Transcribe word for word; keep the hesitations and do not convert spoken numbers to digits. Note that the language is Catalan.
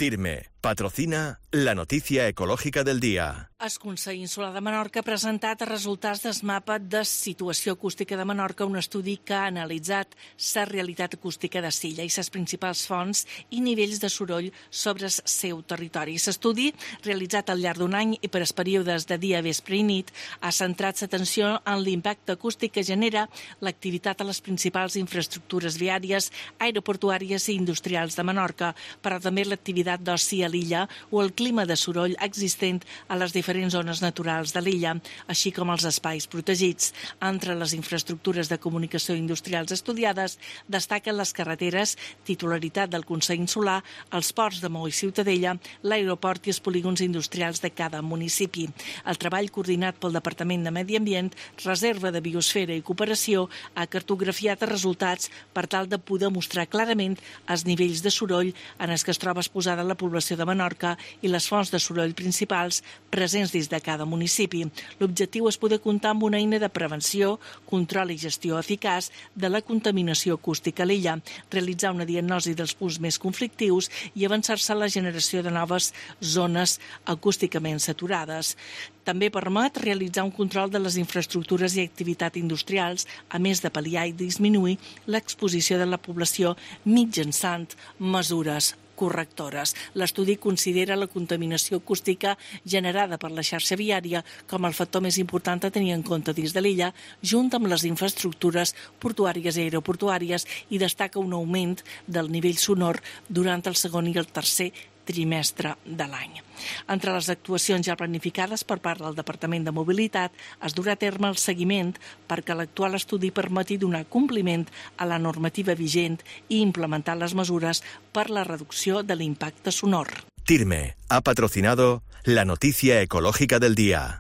TIRME patrocina la noticia ecológica del día. El Consell Insular de Menorca ha presentat els resultats del mapa de situació acústica de Menorca, un estudi que ha analitzat la realitat acústica de l'illa i les principals fonts i nivells de soroll sobre el seu territori. L'estudi, realitzat al llarg d'un any i per els períodes de dia, vespre i nit, ha centrat l'atenció en l'impacte acústic que genera l'activitat a les principals infraestructures viàries, aeroportuàries i industrials de Menorca, però també l'activitat d'oci a l'illa o el clima de soroll existent a les diferents zones naturals de l'illa, així com els espais protegits. Entre les infraestructures de comunicació industrials estudiades destaquen les carreteres, titularitat del Consell Insular, els ports de Maó i Ciutadella, l'aeroport i els polígons industrials de cada municipi. El treball coordinat pel Departament de Medi Ambient, Reserva de Biosfera i Cooperació ha cartografiat els resultats per tal de poder mostrar clarament els nivells de soroll en els que es troba exposada la població de Menorca i les fonts de soroll principals presents dins de cada municipi. L'objectiu és poder comptar amb una eina de prevenció, control i gestió eficaç de la contaminació acústica a l'illa, realitzar una diagnosi dels punts més conflictius i avançar-se a la generació de noves zones acústicament saturades. També permet realitzar un control de les infraestructures i activitats industrials, a més de pal·liar i disminuir l'exposició de la població mitjançant mesures correctores. L'estudi considera la contaminació acústica generada per la xarxa viària com el factor més important a tenir en compte dins de l'illa, junt amb les infraestructures portuàries i aeroportuàries, i destaca un augment del nivell sonor durant el segon i el tercer trimestre de l'any. Entre les actuacions ja planificades per part del Departament de Mobilitat es durà a terme el seguiment perquè l'actual estudi permeti donar compliment a la normativa vigent i implementar les mesures per la reducció de l'impacte sonor. TIRME ha patrocinado la noticia ecológica del día.